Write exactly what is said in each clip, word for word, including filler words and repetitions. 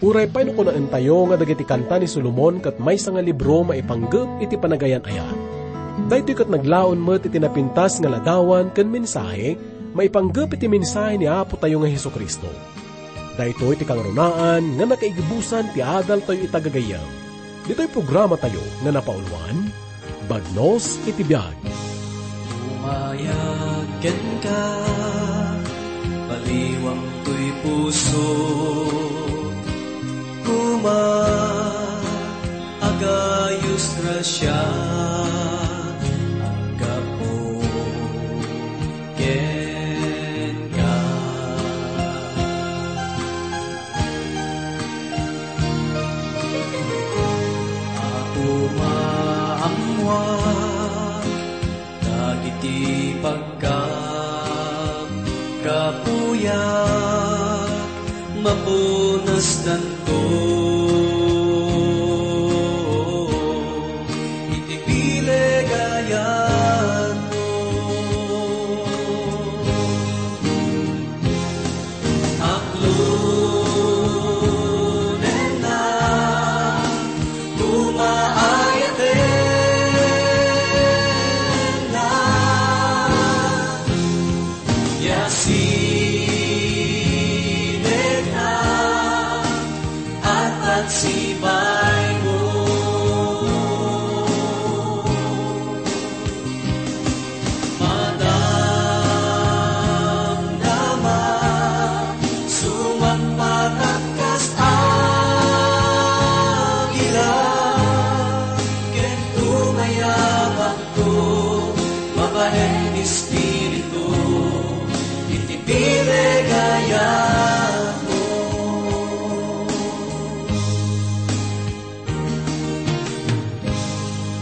Uray pay no kunaentayo nga dagiti kanta ni Solomon ket maysa nga libro maipanggep iti panagayan-ayat. Daytoy ket naglaon met iti napintas nga ladawan ken mensahe maipanggep iti mensahe ni Apo tayo nga Jesu-Cristo. Daytoy ti kangrunaan nga nakaigibusan ti adaltayo ita gagayyem. Ditoy programa tayo nga napauluan, Bagnos iti Biag. Umayag kenka, baliwang toy puso, kuma, agayos grasia, aggapu kenka. Apo, maammuak dagiti pagkapkapuyak, mapunasdanto iti bileg a yatmo. Aklonenna, kuma, ayatenna, ya sidegna, arpatsibaymo. Madamdama, sumagpatak kas agila, ken tumayabakto, babaen espiritu, iti bileg a yatmo.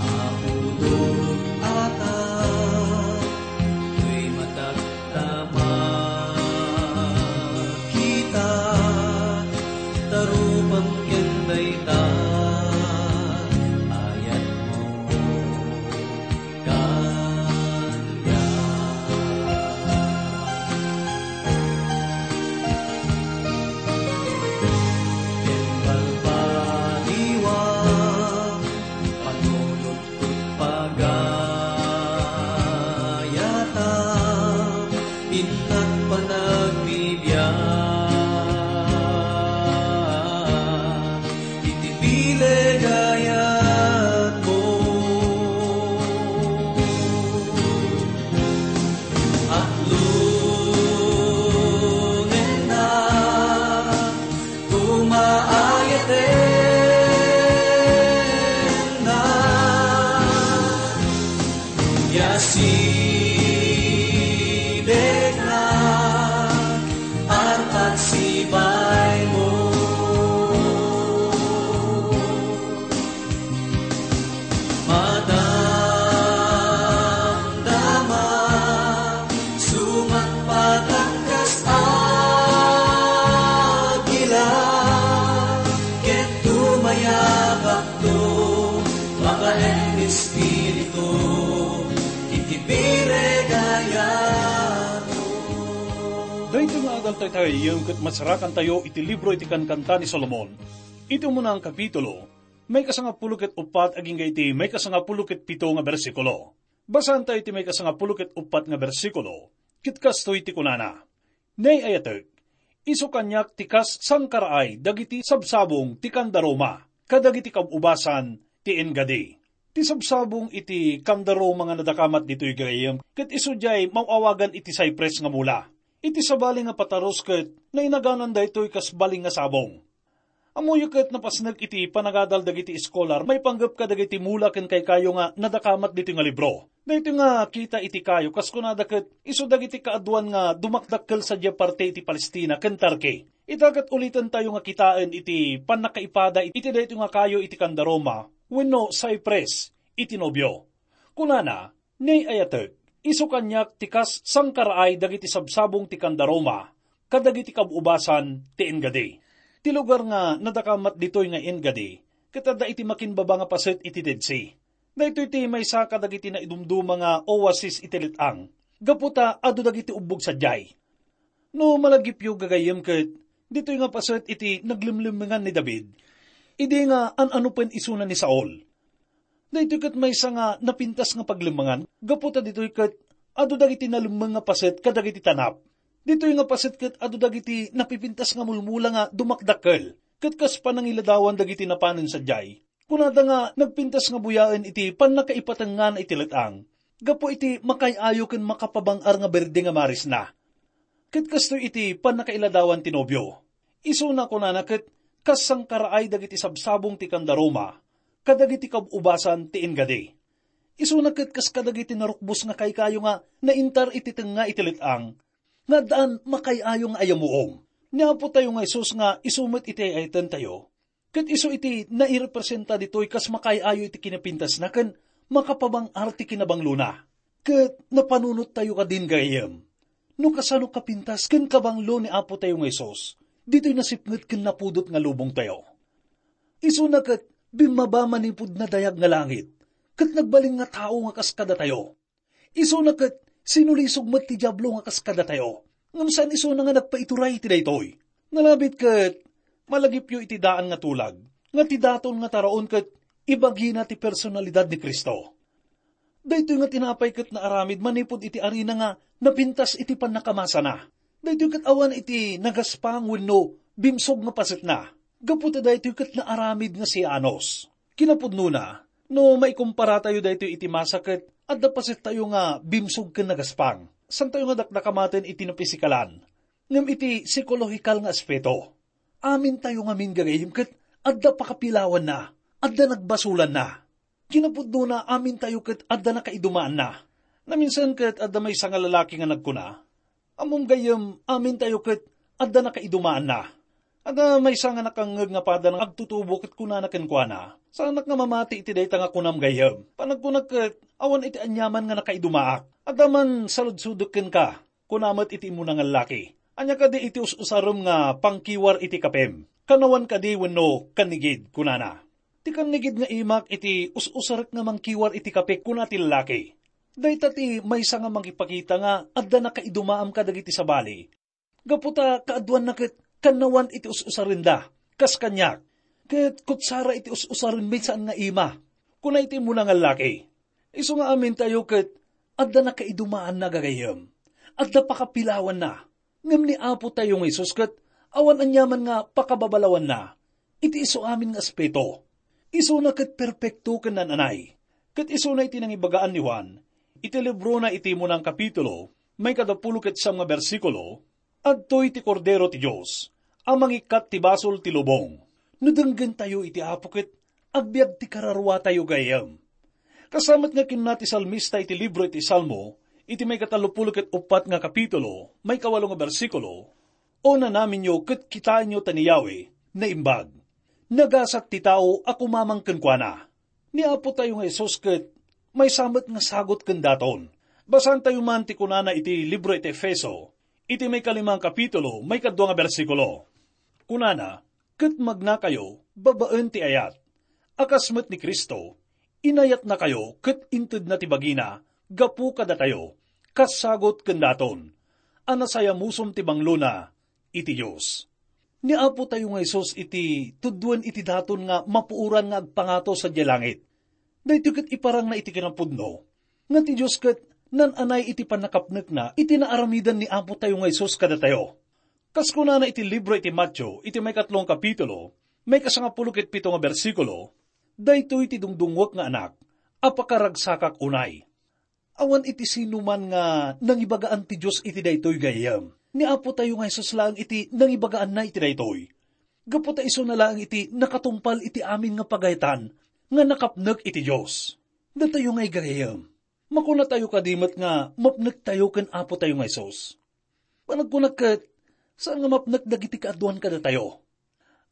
Apo, dut-atak toy matak ta makita, ta rupam ken dayta ayatmo kaniak. Ken balbaliwak, panunot ket pagayata, innak panagbibiag iti bileg a yatmo. Aklonenna, kuma, ayatenna, ya sidegna, arpatsibaymo. Madamdama, sumagpatak kas agila, ket tumayabakto, babaen espiritu, iti bileg a yatmo. Daytoy nga adaltayo ket masarakantayo iti libro iti Kankanta ni Solomon. Iti umuna nga kapitulo, maikasangapulo ket uppat agingga iti maikasangapulo ket pito nga bersikulo. Basaentayo iti maikasangapulo ket uppat nga bersikulo, ket kastoy ti kunana: Nay, ayatek, isu kaniak ti kas sangkaraay dagiti sabsabong ti kandaruma kadagiti kab-ubasan ti enggadi. Ti sabsabong iti kandaruma nga nadakamat ditoy gagayyem, ket isu diay maaw-awagan iti cypress nga mula. Iti sabali nga patarus ket nainaganan daytoy kas bali nga sabong. Ammoyo ket napasnek iti panagadal dagiti eskolar maipanggep kadagiti mula ken kaykayo nga nadakamat ditoy nga libro. Daytoy nga kita iti kayo, kas kunada ket isu dagiti kaaduan nga dumakdakkel sadiay parte iti Palestina ken Turkey. Ita ket ulitentayo nga kitaen iti pannakaipada iti daytoy nga kayo iti kandaruma wenno cypress iti nobio. Kunana, Nay, ayatek, isu kaniak ti kas sangkaraay dagiti sabsabong ti kandaruma kadagiti kab-ubasan ti Engedi. Ti lugar nga nadakamat ditoy nga Engedi ket adda iti makinbaba nga paset iti Dead Sea. Daytoy ti maysa kadagiti naidumduma nga oasis iti let-ang, gapu ta adu dagiti ubbog sadiay. No malagipyo gagayyem ket Ditoy nga paset iti naglemlemmengan ni David, idi nga an-anupen isuna ni Saul. Daytoy ket maysa nga napintas nga paglemmengan, gapu ta ditoy ket adu dagiti nalemmeng nga paset kadagiti tanap. Ditoy nga paset ket adu dagiti napipintas nga mulmula nga dumakdakkel, ket kas panangiladawan dagiti napanen sadiay. Kunada nga nagpintas nga buyaen iti pannakaipatengngana iti let-ang, gapu iti makaay-ayo ken makapabang-ar nga berde nga marisna. Ket kastoy iti pannakailadawan ti nobio. Isuna kunana ket kas sangkaraay dagiti sabsabong ti kandaruma, kadagiti kab-ubasan ti inggadi. Isuna ket kas kadagiti narukbos nga kaykayo nga naintar iti tengnga iti let-ang, nga addaan makaay-ayo nga ayamuom. Ni Apo tayo nga Jesus nga isu met iti ay-ayatentayo, ket isu iti nairepresenta ditoy kas makaay-ayo iti kinapintasna ken makapabang-ar ti kinabanglona. Ket napanunot tayo kadin, gayyem, no kasano kapintas ken kabanglo ni Apo tayo nga Jesus ditoy nasipnget ken napudot nga lubong tayo. Isuna ket bimmaba manipud nadayag nga langit, ket nagbalin nga tao nga kas kadatayo. Isuna ket sinulisog met ti Diablo nga kas kadatayo, ngem saan isuna nga nagpaituray iti daytoy. Nalabit ket malagipyo iti daan nga tulag, nga ti daton nga taraon ket ibagina ti personalidad ni Cristo. Daytoy nga tinapay ket naaramid manipud iti arina nga napintas iti pannakamasana. Daytoy ket awan iti nagaspang wenno bimsog nga pasetna. Gapu ta daytoy ket naaramid nga sianos. Kinapudnona, no maikumpara tayo daytoy iti masa ket adda paset tayo nga bimsog ken nagaspang. Saan tayo nga dakdakamaten iti napisikalan. Ngem iti psikolohikal nga aspeto, amin tayo ngamin gagayyem ket adda pakapilawanna, adda nagbasolanna. Kinapudnona, amin tayo ket adda nakaidumaanna. Naminsan ket adda maysa nga lalaki nga nagkuna, "Ammom gayyem, amin tayo ket adda nakaidumaanna." Adda maysa nga nakangngeg nga pada nga agtutubo ket kunana kenkuana, "Saanak nga mamati iti dayta nga kunam gayyem. Panagkunak ket awan iti aniaman nga nakaidumaak. Adda man saludsodek kenka," kuna met iti immuna nga lallaki. "Ania kadi iti us-usarem nga pangkiwar iti kapem? Kannawan kadi wenno kannigid?" kunana. "Ti kannigid nga imak iti us-usarek nga mangkiwar iti kape," kuna ti lalaki. Dayta ti maysa nga mangipakita nga adda nakaidumaam kadagiti sabali. Gapu ta kaaduanna ket kannawan iti us-usarenda, kas kaniak. Ket kutsara iti us-usaren maysa nga ima, kuna iti immuna nga lallaki. Isu nga amintayo ket adda nakaidumaanna gagayyem. Adda pakapilawanna. Ngem ni Apo tayo nga Jesus ket awan aniaman nga pakababalawanna iti isu amin nga aspeto. Isuna ket perpekto ken naan-anay. Ket isuna iti nangibagaan ni Juan iti librona iti munang kapitulo, may kadapulo ket siyam nga bersikulo, "Adtoy ti Kordero ti Dios a mangikkat ti basol ti lubong." No denggentayo iti Apo ket agbiag ti kararuatayo gayyem. Kasamet nga kinuna ti salmista iti libro iti Salmo, iti may katallopulo ket uppat nga kapitulo, may kawalo nga bersikulo, "O nanaminyo ket kitaenyo ta ni Yahweh naimbag. Nagasat ti tao a kumamang kenkuana." Ni Apo tayo nga Jesus ket maysa met nga sagut ken daton. Basaentayo man ti kunana iti libro iti Efeso, iti may kalimang kapitulo, may kadua nga bersikulo. Kunana, "Ket magnakayo babaen ti ayat, a kas met ni Cristo, inayatnakayo ket intedna ti bagina gapu kadatayo, kas sagut ken daton, a nasayamusom ti banglona iti Dios." Ni Apo tayo nga Jesus iti tuduen iti daton nga mapuoran nga agpangato sadiay langit. Daytoy ket iparangna iti kinapudno nga ti Dios ket naan-anay iti pannakapnekna iti naaramidan ni Apo tayo nga Jesus kadatayo. Kas kunana iti libro iti Mateo, iti maikatlo nga kapitulo, may kasangapulo ket pito nga bersikulo, "Daytoy ti dungdungngoek nga anak a pakaragsakak unay." Awan iti sinuman nga nangibagaan ti Dios iti daytoy gayyem. Ni Apo tayo nga Jesus laeng iti nangibagaanna iti daytoy. Gapu ta isuna laeng iti nakatungpal iti amin nga pagayatan nga nakapnek iti Dios. Datayo nga igagayyem, makunatayo kadi met nga mapnektayo ken Apo tayo nga Jesus? Panagkunak ket, saan nga mapnek dagiti kaaduan kadatayo.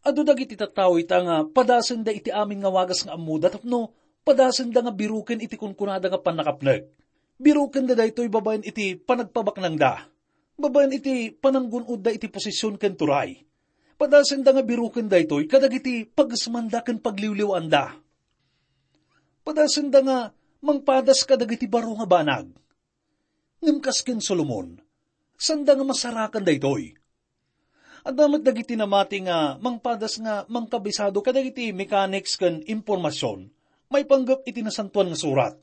Adu dagiti tattao ita nga padasenda iti amin nga wagas nga ammoda tapno padasenda nga biroken iti kunkunada nga pannakapnek. Birokenda daytoy babaen iti panagpabaknangda, babaen iti pananggun-odda iti posisyon ken turay. Padasenda nga biroken daytoy kadagiti pagesmanda ken pagliwliwaanda. Padasenda nga mangpadas kadagiti baro nga banag. Ngem kas ken Solomon, sanda nga masarakan daytoy. Adda met dagiti namati nga mangpadas nga mangkabisado kadagiti mechanics ken impormasion maipanggep iti Nasantoan nga Surat.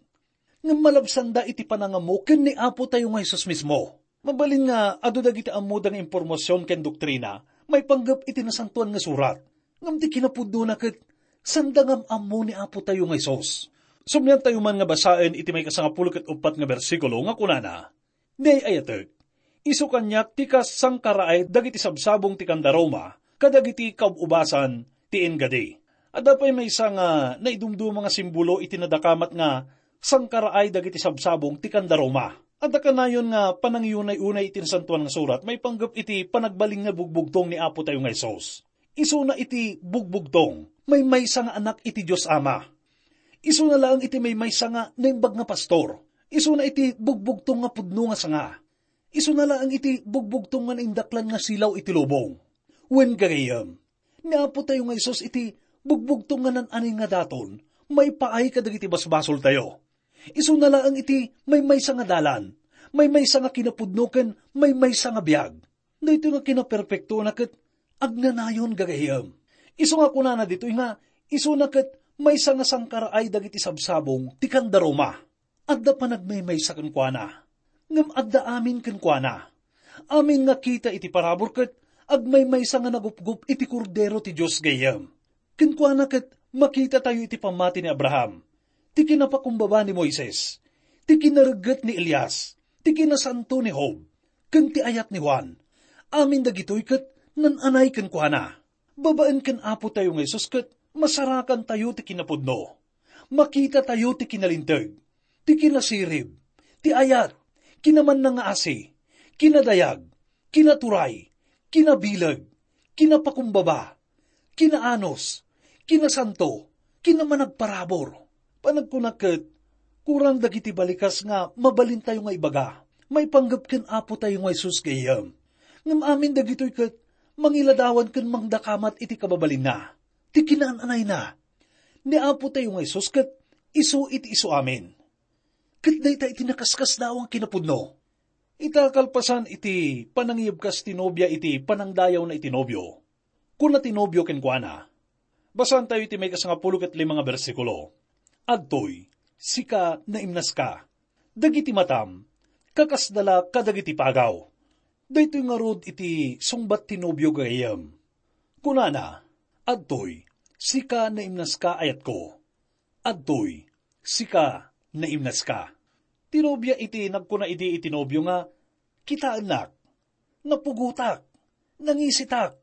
Ngem malabsanda iti panangammo ken ni Apo tayo nga Jesus mismo. Mabalin nga adu dagiti ammoda nga impormasion ken doktrina maipanggep iti Nasantoan nga Surat. Ngem ti kinapudnona ket sanda nga am-ammo ni Apo tayo nga Jesus. Sumnian tayo man nga basaen iti maikasangapulo ket uppat nga bersikulo nga kunana, "Ni ay-ayatek, isu kaniak ti kas sangkaraay dagiti sabsabong ti kanda Roma kadagiti kaub-ubasan ti Engadi." Adda pay maysa nga naidumduma nga simbolo iti nadakamat nga sangkaraay dagiti sabsabong ti kanda Roma. Adda kanayon nga panangiyunay-unay iti Nasantoan nga Surat maipanggep iti panagbalin nga bugbugtong ni Apo tayo nga Jesus. Isuna iti bugbugtong, maymaysa nga anak iti Dios Ama. Isuna laeng iti maymaysa nga naimbag nga pastor. Isuna iti bugbugtong nga pudno nga sanga. Isuna laeng iti bugbugtong nga naindaklan nga silaw iti lubong. Wen, gagayyem, ni Apo tayo nga Jesus iti bugbugtong nga nan-anay nga daton, maipaay kadagiti basbasoltayo. Isuna laeng iti maymaysa nga dalan, maymaysa nga kinapudno ken maymaysa nga biag. Daytoy nga kinaperpektoana ket agnanayon, gagayyem. Isu nga kunana ditoy nga isuna ket maysa nga sangkaraay dagiti sabsabong ti kanda Roma. Adda panagmaymaysa kenkuana, ngem adda amin kenkuana. Amin nga kita iti parabur ket agmaymaysa nga nagupgop iti Kordero ti Dios, gayyem. Kenkuana ket makitatayo iti pammati ni Abraham, ti kinapakumbaba ni Moises, ti kinaregget ni Elias, ti kinasanto ni Job, ken ti ayat ni Juan. Amin dagitoy ket nan-anay kenkuana. Babaen ken Apo tayo nga Jesus ket masarakantayo ti kinapudno. Makitatayo ti kinalinteg, ti kinasirib, ti ayat, kinamannangaasi, kinadayag, kinaturay, kinabileg, kinapakumbaba, kinaanus, kinasanto, kinamanagparabur. Panagkunak ket, kurang dagiti balikas nga mabalintayo nga ibaga, maipanggep ken Apo tayo nga Jesus gayyem. Ngem amin dagitoy ket mangiladawan ken mangdakamat iti kababalinna, ti kinaan-anayna. Ni Apo tayo nga Jesus ket isu iti isu amin. Ket dayta iti nakaskasdaaw nga kinapudno. Ita kalpasan iti panangiyebkas ti nobia iti panangdayawna iti nobio, kuna ti nobio kenkuana. Basaantayo iti maikasangapulo ket lima nga bersikulo. Adtoy, sika naimnaska. Dagiti matam, kakasda la kadagiti pagaw. Daytoy ngarud iti sungbat ti nobio gayyem. Kunana, "Adtoy, sika naimnaska, ayatko. Adtoy, sika naimnaska." Ti nobia iti nagkuna idi iti nobio nga, "Kitaennak, napugotak, nangisitak,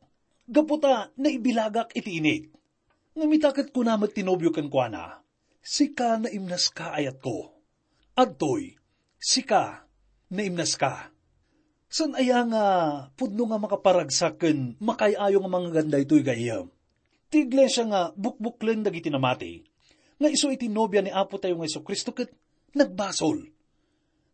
gapu ta naibilagak iti init." Ngem ita ket kuna met ti nobio kenkuana, "Sika naimnaska, ayatko. Adtoy, sika naimnaska." Saan aya nga pudno nga makaparagsak ken makaay-ayo nga mangngeganda daytoy gayyem? Ti iglesia nga bukbuklen dagiti namati, nga isu iti nobia ni Apo tayo nga Jesu-Cristo ket nagbasol.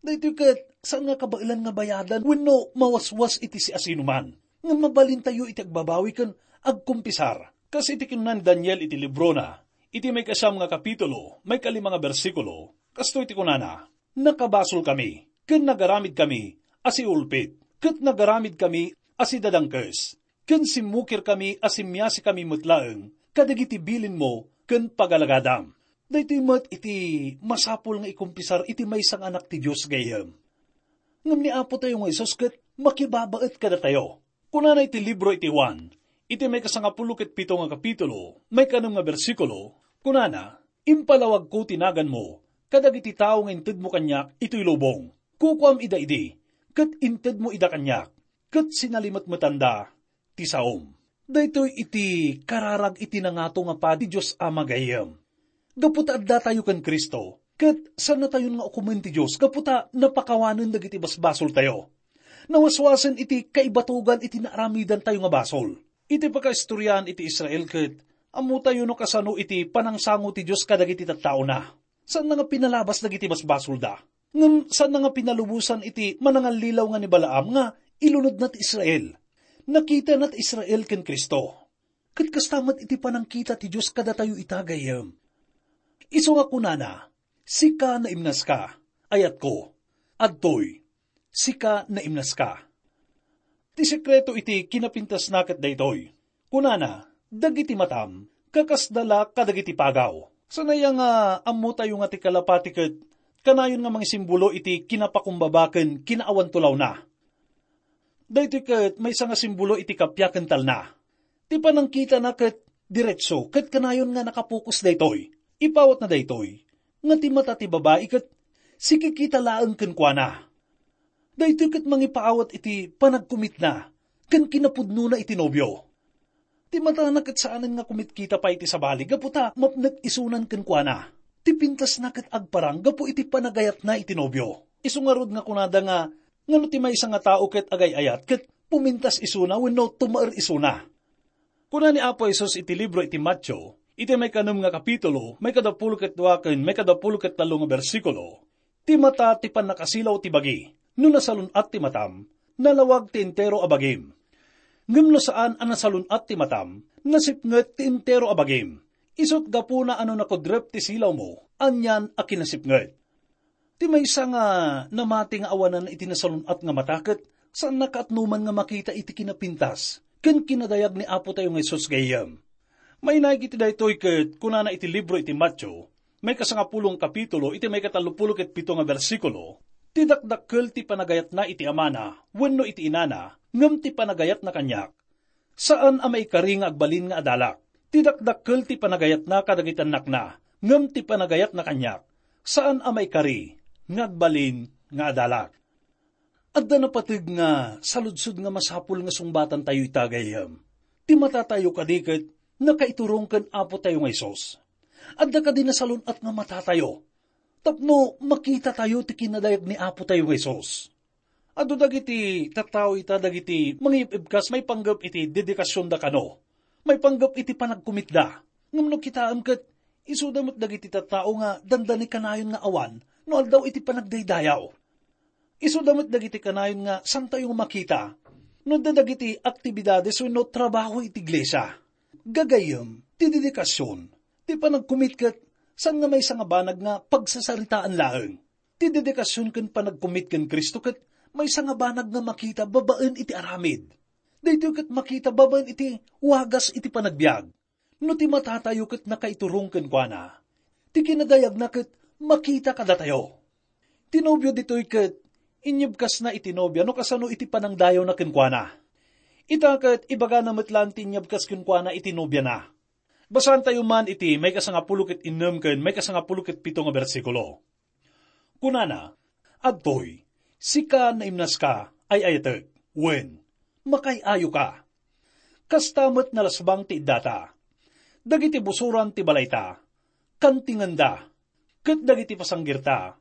Daytoy ket saan nga kabaelan nga bayadan wenno mawaswas iti siasinoman. Ngem mabalintayo iti agbabawi ken agkumpisar. Kas iti kinuna ni Daniel iti librona, iti maikasiam nga kapitulo, maikalima nga bersikulo, kastoy ti kunana, "Nakabasolkami, ken nagaramidkami a siulpit, ket nagaramidkami a sidadangkes, ken simmukirkami a simmiasikami met laeng kadagiti bilinmo ken pagalagadam." Daytoy met iti masapul nga ikumpisar iti maysa nga anak ti Dios gayyem. Ngem ni Apo tayo nga Jesus ket makibabaet kadatayo. Kunana iti libro iti Juan, iti maikasangapulo ket pito nga kapitulo, maikanem nga bersikulo, kunana, "Impalawagko ti naganmo kadagiti tao nga intedmo kaniak itoy lubong. Kukuam ida idi, ket intedmo ida kaniak, ket sinalimetmetanda ti saom." Daytoy iti kararag iti nangato nga padi Dios a magayyem. Gapu ta addatayo ken Cristo, ket saannatayon nga ukomen ti Dios gapu ta napakawanen dagiti basbasoltayo. Nawaswasen iti kaibatogan iti naaramidantayo nga basol. Iti pakaistoriaan iti Israel ket, ammotayo no kasano iti panangsango ti Dios kadagiti tattaona. Saanna nga pinalabas dagiti basbasolda. Ngem saanna nga pinalubosan iti manangallilaw nga ni Balaam nga ilunodna ti Israel. Nakitana ti Israel ken Cristo. Ket kasta met iti panangkita ti Dios kadatayo ita gayyem. Isu nga kunana, "Sika naimnaska, ayatko. Adtoy, sika naimnaska." Ti sekreto iti kinapintasna ket daytoy. Kunana, "Dagiti matam, kakasda la kadagiti pagaw." Saan aya nga ammotayo nga ti kalapati ket kanayon nga mangisimbolo iti kinapakumbaba ken kinaawan tulawna. Daytoy ket maysa nga simbolo iti kappia ken talna. Ti panangkitana ket diretso ket kanayon nga nakapokus daytoy. Ipawatna daytoy, nga ti mata ti babai ket sikikita laeng kenkuana. Daytoy ket mangipaawat iti panagkumitna ken kinapudnona iti nobio. Ti matana ket saanen nga kumitkita pay iti sabali gapu ta mapnek isunan kenkuana. Ti pintasna ket agparang gapu iti panagayatna iti nobio. Isu ngarud nga kunada nga, ngano ti maysa nga tao ket agay-ayat ket pumintas isuna wenno tumaer isuna? Kuna ni Apo Jesus iti libro iti Mateo, iti maikanem nga kapitulo, maikadapulo ket dua ken maikadapulo ket tallo nga bersikulo, "Ti mata ti pannakasilaw ti bagi. No nasalun-at ti matam, nalawag ti entero a bagim. Ngem no saan a nasalun-at ti matam, nasipnget ti entero a bagim. Isut' gapuna a no nakudrep ti silawmo, anian a kinasipnget." Ti maysa nga namati nga awanan iti nasalun-at nga mata ket saanna kaatnoman nga makita iti kinapintas ken kinadayag ni Apo tayo nga Jesus gayyem. Mainaig iti daytoy ket kunana iti libro iti Mateo, maikasangapulong kapitulo iti maikatallopulo ket pito nga bersikulo, "Ti dakdakkel ti panagayatna iti amana wenno iti inana ngem ti panagayatna kaniak, saan a maikari nga agbalin nga adalak. Ti dakdakkel ti panagayatna kadagiti annakna, ngem ti panagayatna kaniak, saan a maikari nga agbalin nga adalak." Adda napateg nga saludsod nga masapul nga sungbatantayo ita gayyem. Ti matatayo kadi ket nakaiturong ken Apo tayo nga Jesus? Adda kadi nasalun-at nga matatayo tapno makitatayo ti kinadayag ni Apo tayo nga Jesus? Adu dagiti tattao ita dagiti mangib-ibkas maipanggep iti dedikasionda kano, maipanggep iti panagkumitda. Ngem no kitaem ket, isuda met dagiti tattao nga dandani kanayon nga awan no aldaw iti panagdaydayaw. Isuda met dagiti kanayon nga santayo nga makita no adda dagiti aktibidades wenno trabaho iti iglesia. Gagayyem, ti dedikasion, ti panagkumit ket saan nga maysa nga banag nga pagsasaritaan laeng. Ti dedikasion ken panagkumit ken Cristo ket maysa nga banag nga makita babaen iti aramid. Daytoy ket makita babaen iti wagas iti panagbiag. No ti matatayo ket nakaiturong kenkuana, ti kinadayagna ket makita kadatayo. Ti nobio ditoy ket inyebkasna iti nobia no kasano iti panangdayawna kenkuana. Ita ket ibagana met laeng ti inyebkas kenkuana iti nobiana. Basaantayo man iti maikasangapulo ket innem ken maikasangapulo ket pito nga bersikulo. Kunana, "Adtoy, sika naimnaska, ay-ayatek, wen, makaay-ayoka. Kasta met nalasbang ti iddata. Dagiti busoran ti balayta, kantingenda, ket dagiti pasanggirta,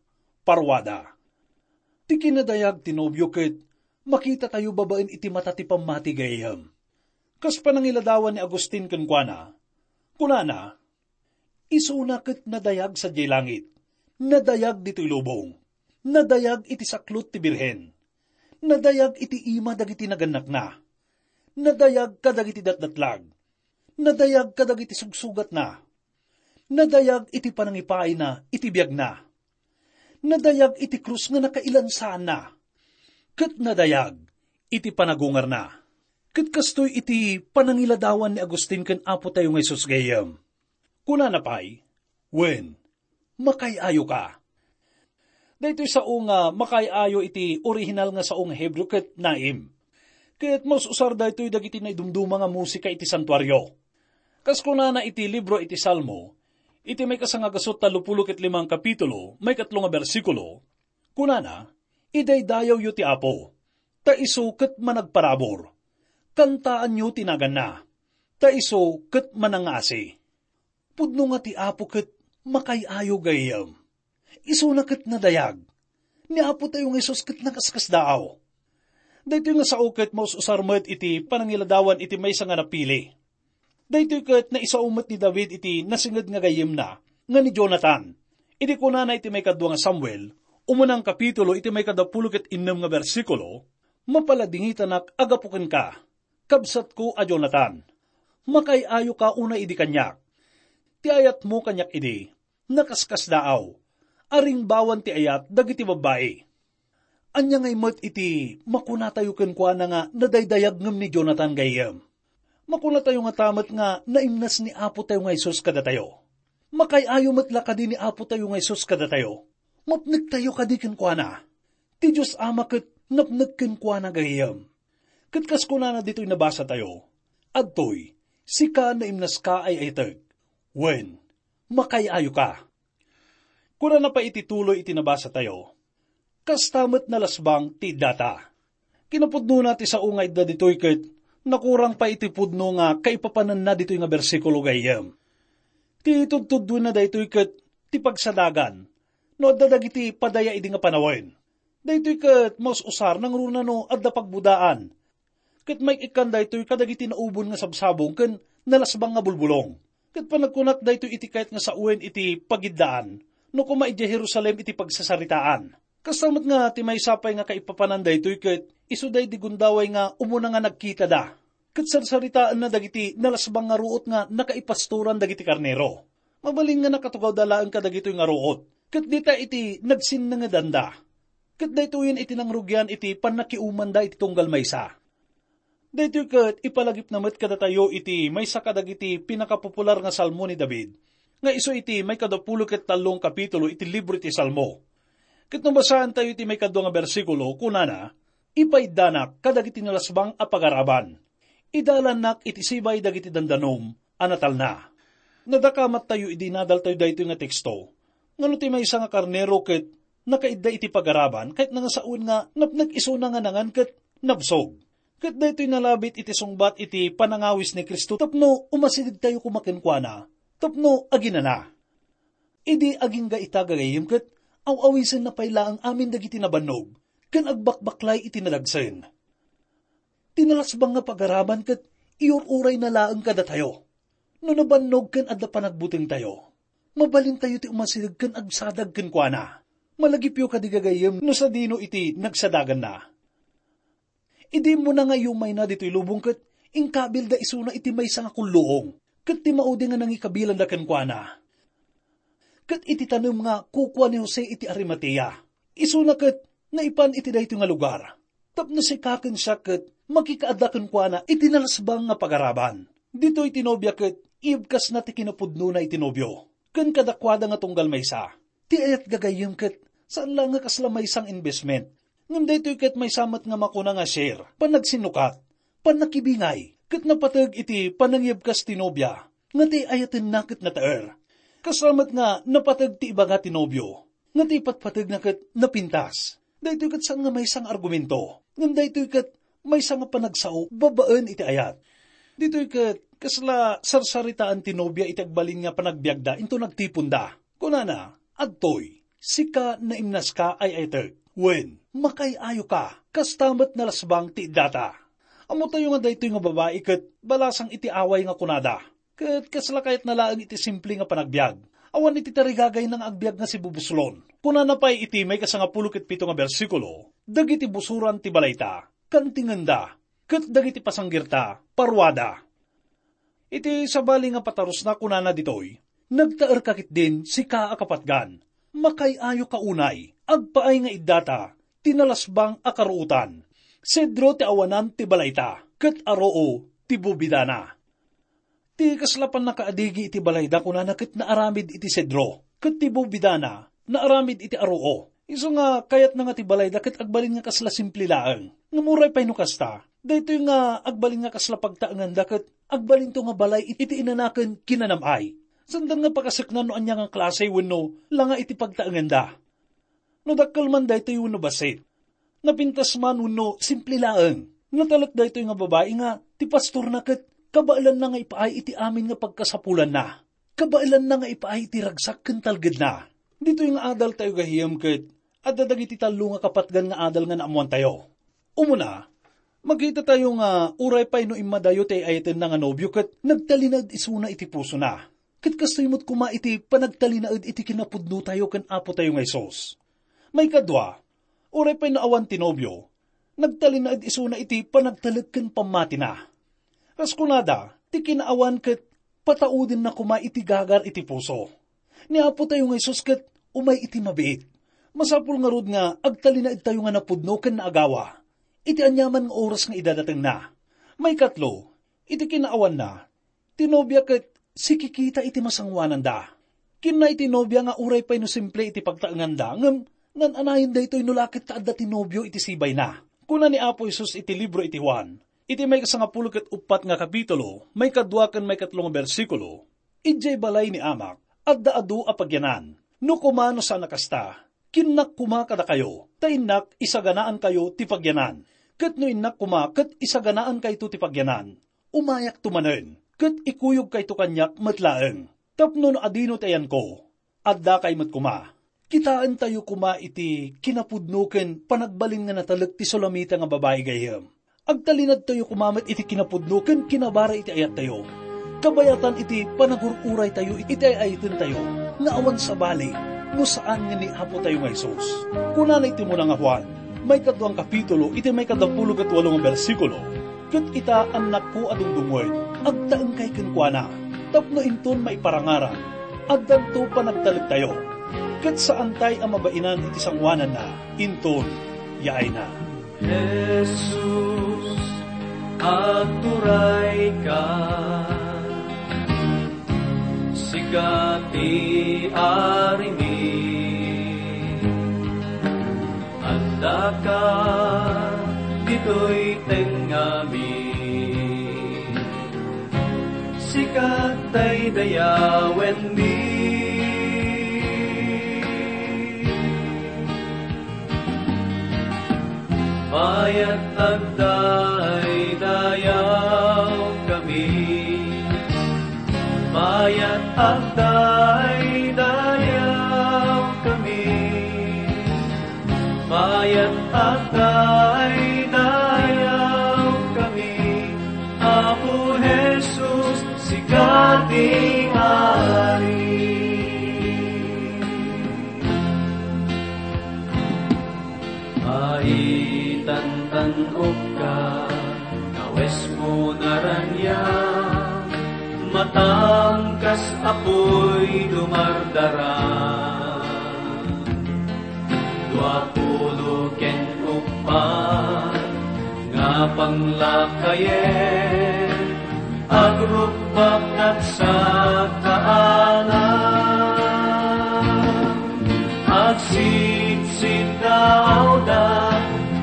paruada." Ti kinadayag ti nobio ket makitatayo babaen iti mata ti pammati gayyem. Kas panangiladawan ni Agustin kenkuana, kunana, "Isuna ket nadayag sadiay langit, nadayag ditoy lubong, nadayag iti saklot ti Birhen, nadayag iti ima dagiti nagannakna, nadayag kadagiti datdatlag, nadayag kadagiti sugsugatna, nadayag iti panangipaayna iti biagna, nadayag iti krus nga nakailansaanna, ket nadayag iti panagungarna." Ket kastoy iti panangiladawan ni Agustin ken Apo tayo nga Jesus gayyem. Kunana pay, "Wen, makaay-ayoka." Daytoy sao nga makaay-ayo iti orihinal nga sao nga Hebreo ket naim. Ket maus-usar daytoy dagiti naidumduma nga musika iti santuario. Kas kunana iti libro iti Salmo, iti maikasangagasu tallopulo ket lima nga kapitulo, maikatlo nga bersikulo, kunana, "Idaydayawyo ti Apo, ta isu ket managparabur. Kantaanyo ti naganna, ta isu ket manangngaasi." Pudno nga ti Apo ket makaay-ayo gayyem. Isuna ket nadayag. Ni Apo tayo nga Jesus ket nakaskasdaaw. Daytoy nga sao ket maus-usar met iti panangiladawan iti maysa nga napili. Daytoy ket naisao met ni David iti nasinged nga gayyemna nga ni Jonathan. Idi kunana iti maikadua nga Samuel, umunang kapitulo iti maikadapulo ket innem nga bersikulo, "Mapaladingitanak a gapu kenka, kabsatko a Jonathan. Makaay-ayoka unay idi kaniak. Ti ayatmo kaniak idi, nakaskasdaaw, a ringbawan ti ayat dagiti babbai." Ania ngay met iti makunatayo kenkuana nga nadaydayag ngem ni Jonathan gayyem? Makunatayo ngata met nga naimnas ni Apotayo nga Jesus kadatayo. Makay-ayo met la kadi ni Apotayo nga Jesus kadatayo? Mapnektayo kadi kenkuana? Ti Dios Ama ket napnek kenkuana gayyem. Ket kas kunana ditoy nabasatayo, "Adtoy, sika naimnaska ay ayteg. Wen, makay-ayoka." Kunana pay iti tuloy iti nabasatayo, "Kasta met nalasbang ti iddata." Kinapudnona ti sao nga idda ditoy ket nakurang pay iti pudno nga kaipapananna ditoy nga bersikulo gayyem. Ti tudtuddoenna daytoy ket ti pagsadagan no adda dagiti padaya idi nga panawen. Daytoy ket maus-usar nangruna no adda pagbudaan. Ket maik-ikkan daytoy kadagiti naubon nga sabsabong ken nalasbang nga bulbulong. Ket panagkunak daytoy iti kayat nga sawen iti pagiddaan no koma idiay Jerusalem iti pagsasaritaan. Kasta met nga ti maysa pay nga kaipapanan daytoy ket isu daydi gundaway nga umuna nga nagkitada. Ket sarsaritaenna dagiti nalasbang nga ruot nga nakaipastoran dagiti karnero. Mabalin nga nakatugawda laeng kadagitoy nga ruot, ket dita iti nagsinnengedanda. Ket daytoyen iti nangrugian iti pannakiumanda iti tunggal maysa. Daytoy ket ipalagipna met kadatayo iti maysa kadagiti pinakapopular nga salmo ni David, nga isu iti maikadapulo ket tallo nga kapitulo iti libro iti Salmo. Ket no basaentayo iti maikadua nga bersikulo, kunana, "Ipaiddanak kadagiti nalasbang a pagaraban. Idalannak iti sibay dagiti dandanom a natalna." Nadakamattayo idi nadaltayo daytoy nga teksto, nga no ti maysa nga karnero ket nakaidda iti pagaraban, kayatna nga sawen nga napnek isuna nga nangan ket nabsog. Ket daytoy nalabit iti sungbat iti panangawis ni Cristo tapno umasidegtayo koma kenkuana, tapno aginana. Idi agingga ita gagayyem ket aw-awisenna pay laeng amin dagiti nabannog ken agbakbaklay iti nadagsen. Ti nalasbang nga pagaraban ket iur-urayna laeng kadatayo. No nabannog ken adda panagbutengtayo, mabalintayo ti umasideg ken agsadag kenkuana. Malagipyo kadi gagayyem no sadino iti nagsadaganna. Idi immuna nga iyumayna ditoy lubong ket inkabilda isuna iti maysa nga kulluong, ket ti maudi nga nangikabilanda kenkuana. Ket iti tanem nga kukua ni Jose iti Arimatea, isuna ket naipan iti daytoy nga lugar. Tapno sika ken siak ket makikaadda kenkuana iti nalasbang nga pagaraban. Ditoy ti nobia ket ibkasna ti kinapudnona iti nobio, ken kadakuada nga tunggal maysa. Ti ayat gagayyem ket saan la nga kasla maysa nga investment, ngem daytoy ket maysa met nga makuna nga share, pannagsinnukat, pannakibingay, ket napateg iti panangibkas ti nobia nga ti ayatenna ket nataer. Kasla met nga napateg ti ibaga ti nobio nga ti ipatpategna ket napintas. Daytoy ket saan nga maysa nga argumento, ngem daytoy ket maysa nga panagsao babaen iti ayat. Ditoy ket kasla sarsaritaan ti nobia iti agbalin nga panagbiagda inton agtiponda. Kunana, "Adtoy, sika naimnaska ay aytek, wen, makay-ayoka, kasta met nalasbang ti iddata." Ammotayo nga daytoy nga babai ket balasang iti away nga kunada. Ket kasla kayatna laeng iti simple nga panagbiag. Awan iti tarigagayna nga agbiag nga sibubuslon. Kunana pay iti maikasangapulo ket pito nga bersikulo, "Dagiti busoran ti balayta, kantingenda, ket dagiti pasanggirta, paruada." Iti sabali nga patarusna, kunana ditoy, "Nagtaerka ketdin, sika a kapatgan. Makay-ayoka unay, agpaay nga iddata ti nalasbang a karuotan. Sedro ti awanan ti balayta, ket aroo ti bubidana." Ti kasla pannakaadigi iti balayda, kunana, ket naaramid iti sedro, ket ti bubidana naaramid iti aroo. Isu nga kayatna nga ti balayda ket agbalin nga kasla simple laeng. Ngem uray pay no kasta, daytoy nga agbalin nga kasla pagtaenganda ket agbalinto nga balay iti inanaken kinanam-ay. Saanda nga pakaseknan no ania nga klase wenno langa iti pagtaenganda. No dakkel man daytoy wenno bassit, napintas man wenno simple laeng, natalek daytoy nga babai nga ti pastorna ket kabaelanna nga ipaay iti amin nga pagkasapulanna. Kabaelanna nga ipaay iti ragsak ken talgedna. Ditoy nga adaltayo gayam ket adda dagiti tallo nga kapatgan nga adal nga naammoantayo. Umuna, makitatayo nga uray pay no immadayo ti ay-ayatenna nga nobio ket nagtalinaed isuna iti pusona. Ket kastoy met koma iti panagtalinaed iti kinapudnotayo ken Apotayo nga Jesus. Maikadua, uray pay no awan ti nobio, nagtalinaed isuna iti panagtalek ken pammatina. Kas kunada, ti kinaawan ket pataudenna koma iti gagar iti puso. Ni Apotayo nga Jesus ket umay iti mabiit. Masapul ngarud nga agtalinaedtayo nga napudno ken naagawa iti aniaman nga oras nga idadatengna. Maikatlo, iti kinaawanna, ti nobia ket sikikita iti masangoananda. Kinuna iti nobia nga uray pay no simple iti pagtaenganda, ngem ngan-anayon daytoy no la ket ta adda ti nobio iti sibayna. Kuna ni Apo Jesus iti libro iti Juan, iti maikasangapulo ket uppat nga kapitulo, maikadua ken maikatlo nga bersikulo, "Idiay balay ni Amak, adda adu a pagyanan. No koma no saan a kasta, kinnak koma kadakayo, ta innak isaganaankayo ti pagyanan. Ket no innak koma ket isaganaankayo ti pagyanan, umayakto manen, ket ikuyogkayto kaniak met laeng. Tapno no adino ti ayanko, addakay met koma." Kitaentayo koma iti kinapudno ken panagbalin nga natalek ti Sulamita nga babai gayem. Agtalinaedtayo koma met iti kinapudno ken kinabara iti ayattayo, kabayatan iti panagur-uraytayo iti ay-ayatentayo nga awan sabali no saan nga ni Apotayo nga Jesus. Kunana iti muna nga Juan, maikadua nga kapitulo, iti maikadapulo ket walo nga bersikulo, "Ket ita, annakko a dungdungngoen, agtaengkay kenkuana, tapno inton maiparangarang, addanto panagtalektayo, ket saantay a mabainan iti sangoananna, inton yaayna." Jesus, agturayka, sika ti arimi. Addaka ditoy tengngami, sika daydayawenmi. Mayat agdaydayawkami. Mayat agdaydayawkami. Mayat agdaydayawkami. Apo Jesus, sika ti Ari. Maitantan-okka, kawesmo naraniag, matangkas a puy dumardara. Dua pulo ken uppat nga panglakayen, agrukbaknak sakaanan. Agsidsitaawda,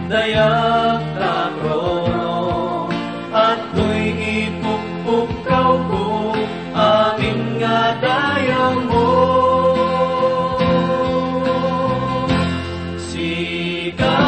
dayag ta trono, adtoy ipukpukkawko, amin nga dayawmo. Sika